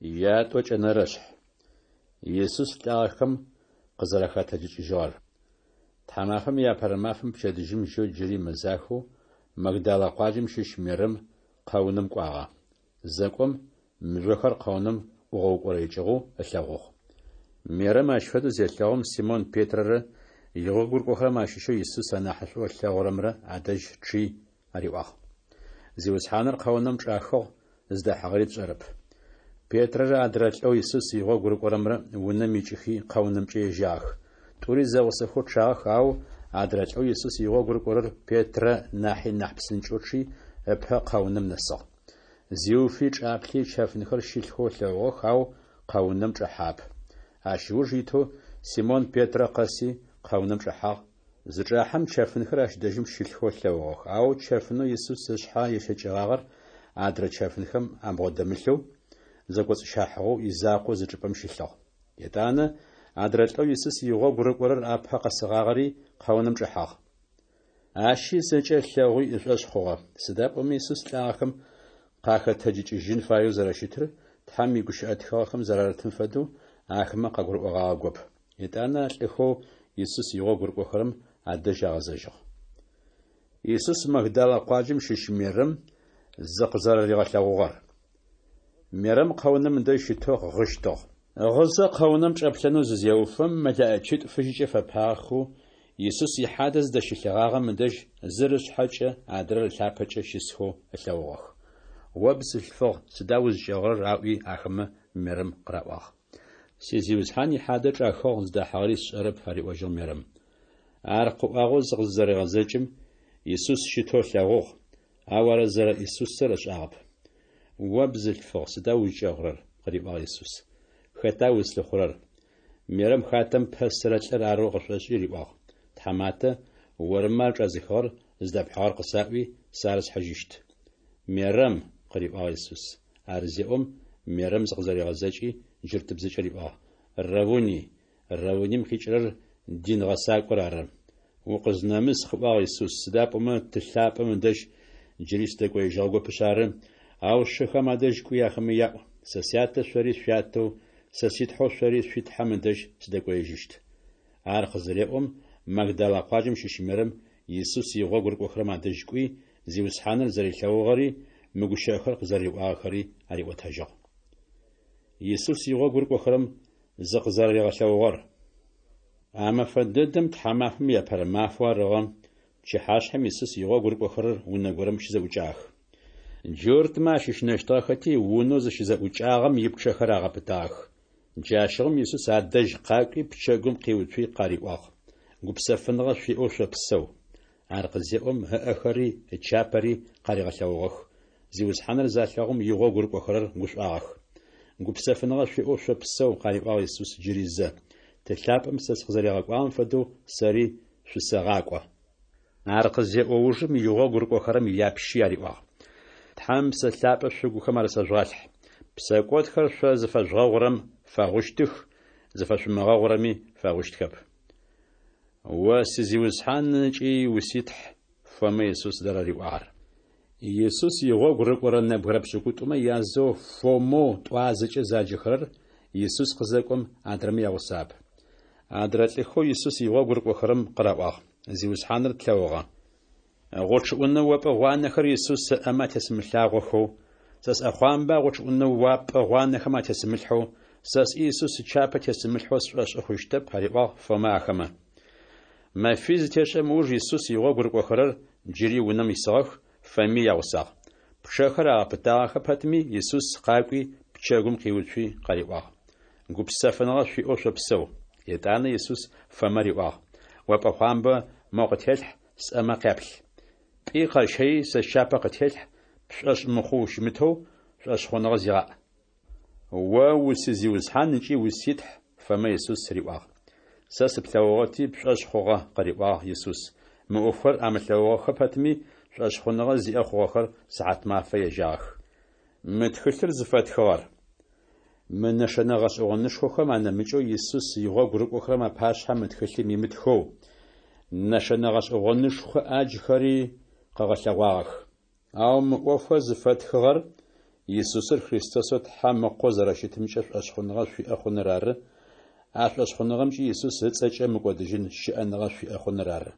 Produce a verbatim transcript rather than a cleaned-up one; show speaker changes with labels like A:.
A: Ятӏокӏэнэрэ шъхь. Исус лӏагъэхэм къызэрахэтэджыкӏыжьыгъэр. Тхьамафэм иапэрэ мафэм пчэдыжьым жьэу джыри мэзахэу Магдалэ къуаджэм щыщ Мерэм къэунэм кӏуагъэ. Зэкӏом, мыжъохэр къэунэм ӏугъэукӏорэикӏыгъэу ылъэгъугъ. Мерэм ащ фэдэу зелъэгъум, Симон Петрэрэ игъогу рыкӏохэрэм ащыщэу Исус анахьышӏоу ылъэгъурэмрэ адэжь чъи ариӏуагъ: «Зиусхьаныр къэунэм чӏахыгъ, зыдахьыгъэри тшӏэрэп». Петрэрэ адрэ лӏэу Исус игъогу рыкӏорэмрэ унэм икӏыхи къэунэмкӏэ ежьагъэх. Тӏури зэгъусэхэу чъагъэх, ау адрэ лӏэу Исус игъогу рыкӏорэр Петрэ нахьи нахь псынкӏэу чъи, ыпэ къэунэм нэсыгъ. Зиуфи чӏаплъи чэфынхэр щылъхэу ылъэгъугъэх, ау къэунэм чӏэхьагъэп. Ащ ыуж итэу Симон Петрэ къэси къэунэм чӏэхьагъ. Зычӏахьэм чэфынхэр ащ дэжьым щылъхэу ылъэгъугъэх, ау чэфынэу Исус ышъхьэ ещэкӏыгъагъэр адрэ чэфынхэм абгъодэмылъэу, зэкӏоцӏыщахьыгъэу изакъоу зы чӏыпӏэм щылъыгъ. Етӏанэ адрэ лӏэу Исус игъогу рыкӏорэр апэ къэсыгъагъэри къэунэм чӏэхьагъ. Ащи зэкӏэ ылъэгъуи ышӏошъ хъугъэ, сыда пӏомэ Исус лӏагъэхэм къахэтэджыкӏыжьын фаеу зэрэщытыр Тхьэм игущыӏэ тхыгъэхэм зэрарытым фэдэу ахэмэ къагурыӏогъагъэгоп. Етӏанэ а лӏыхэу Исус игъогу рыкӏохэрэм адэжь агъэзэжьыгъ. Исус Магдалэ къуаджэм щыщ Мерэм зыкъызэрэригъэлъэгъугъэр. Мерэм къэунэм ыдэжь щытэу гъыщтыгъ. Гъызэ къэунэм чӏэплъэнэу зызеуфэм, мэлэӏичитӏу фыжьыкӏэ фэпагъэхэу Исус ихьадэ зыдэщылъыгъагъэм ыдэжь зыр ышъхьэкӏэ, адрэр ылъапэкӏэ щысхэу ылъэгъугъэх. «О бзылъфыгъ, сыда узкӏэгъырэр?» аӏуи ахэмэ Мерэм къыраӏуагъ. «Си Зиусхьан ихьадэ чӏахыгъ, зыдахьыгъэри сшӏэрэп», ариӏожьыгъ Мерэм. Ар къыӏуагъэу зыкъызэрегъэзэкӏым, Исус щытэу ылъэгъугъ, ау ар зэрэ Исусыр ышӏагъэп. «О бзылъфыгъ, сыда узкӏэгъырэр?» къыриӏуагъ Исус. «Хэта узлъыхъурэр?» Мерэм хатэм пэсырэ лӏыр арэу къышӏошӏи риӏуагъ: «Тхьаматэ, ормэ ар чӏэзыхыгъэр зыдэпхьыгъэр къысаӏуи, сэ ар схьыжьыщт». «Мерэм!» къыриӏуагъ Исус. Ар зеӏом, Мерэм зыкъызэригъэзэкӏи, джуртыбзэкӏэ риӏуагъ: «Равуни!» Равуним къикӏырэр дин гъэсакӏор ары. «Укъызнэмыс», къыӏуагъ Исус, сыда пӏомэ Ты лъапӏэм ыдэжь джыри сыдэкӏоежьыгъэгопышъ ары, ау сшыхэм адэжь кӏуи ахэмэ яӏу: Сэ Сятэ шъори шъуятэу, сэ си Тхьэу шъори шъуи Тхьэм ыдэжь сыдэкӏоежьыщт. Ар къызыреӏом, Магдалэ къуаджэм щыщ Мерэм Исус игъогу рыкӏохэрэм адэжь кӏуи, Зиусхьаныр зэрилъэгъугъэри, мы гущыӏэхэр къызэриӏуагъэхэри ариӏотэжьыгъ. Исус игъогу рыкӏохэрэм зыкъызэраригъэлъэгъугъэр. А мэфэ дэдэм тхьамафэм иапэрэ мафэу арыгъэ, пчыхьашъхьэм Исус игъогу рыкӏохэрэр унэ горэм щызэӏукӏагъэх. Джуртмэ ащыщынэщтыгъэхэти, унэу зыщызэӏукӏагъэм ипчъэхэр агъэпытагъэх. Джащыгъум Исус адэжь къакӏуи пчэгум къиуцуи къариӏуагъ: «Гупсэфыныгъэ шъуиӏэу шъопсэу!» Ар къызеӏом, ыӏэхэри ычапэри къаригъэлъэгъугъэх. Зиусхьаныр залъэгъум игъогу рыкӏохэрэр гушӏуагъэх. «Гупсэфыныгъэ шъуиӏэу шъопсэу!» къариӏуагъ Исус джыри зэ. «Ты лъапӏэм сэ сыкъызэригъэкӏуагъэм фэдэу сэри шъусэгъакӏо». Ар къызеӏо ужым игъогу рыкӏохэрэм япщи ариӏуагъ: «Тхьэм Псэ Лъапӏэ шъугухэм арысэжъугъалъхь. Псэкӏодхэр шъо зыфэжъугъэгъурэм фэгъущтых, зыфэшъумыгъэгъурэми фэгъущтхэп». «О си Зиусхьан ыкӏи уситхь», Фомэ Исус зэрэриӏуагъэр. Исус игъогу рыкӏорэ нэбгырэ пшӏыкӏутӏумэ язэу Фомэу тӏуазэкӏэ заджэхэрэр Исус къызэкӏом адрэмэ ягъусагъэп. Адрэ лӏыхэу Исус игъогу рыкӏохэрэм къыраӏуагъ: «Зиусхьаныр тлъэгъугъэ». Гъучӏыӏунэ опӏэ гъуанэхэр Исус ыӏэмэ атесымылъагъохэу, сэ сӏэхъуамбэ а гъучӏыӏунэ уапӏэ гъуанэхэм атесымылъхьэу, сэ сӏи Исус ычапэ тесымылъхьэу сшӏошӏы хъущтэп, ариӏуагъ Фомэ ахэмэ. Мэфий зытешӏэм ыуж Исус игъогу рыкӏохэрэр джыри унэм исыгъэх, Фоми ягъусагъ. Пчъэхэр агъэпытагъэхэ пэтми, Исус къакӏуи пчэгум къиуцуи къариӏуагъ: «Гупсэфыныгъэ шъуиӏэу шъопсэу!» Етӏанэ Исус Фомэ риӏуагъ: «О пӏэхъуамбэ мо къытелъхь, сӏэмэ къяплъ. Пӏи къэщэи сэ счапэ къытелъхь, пшӏошъ мыхъоу ущымытэу, шӏошъхъуныгъэ зигъаӏ». «О уси Зиусхьан ыкӏи уситхь», Фомэ Исус риӏуагъ. «Сэ сыплъэгъугъэти пшӏошъ хъугъэ», къыриӏуагъ Исус. Мы ӏофхэр амылъэгъугъэхэ пэтми, шӏошъхъуныгъэ зиӏэ хъугъэхэр сыхьатмафэ ежьагъэх. Мы тхылъыр зыфэтхыгъэр мы нэшэнэ гъэшӏэгъонышхохэм анэмыкӏэу Исус игъогу рыкӏохэрэм апашъхьэ мы тхылъым имытхэу, нэшэнэ гъэшӏэгъонышхо ӏаджхэри къыгъэлъэгъуагъэх. Ау мы ӏофхэр зыфэтхыгъэр Исусыр Христосэу Тхьэм Ыкъоу зэрэщытымкӏэ шӏошъхъуныгъэ шъуиӏэ хъуныр ары, а шӏошъхъуныгъэмкӏи Исус ыцӏэкӏэ мыкӏодыжьын щыӏэныгъэ шъуиӏэ хъуныр ары.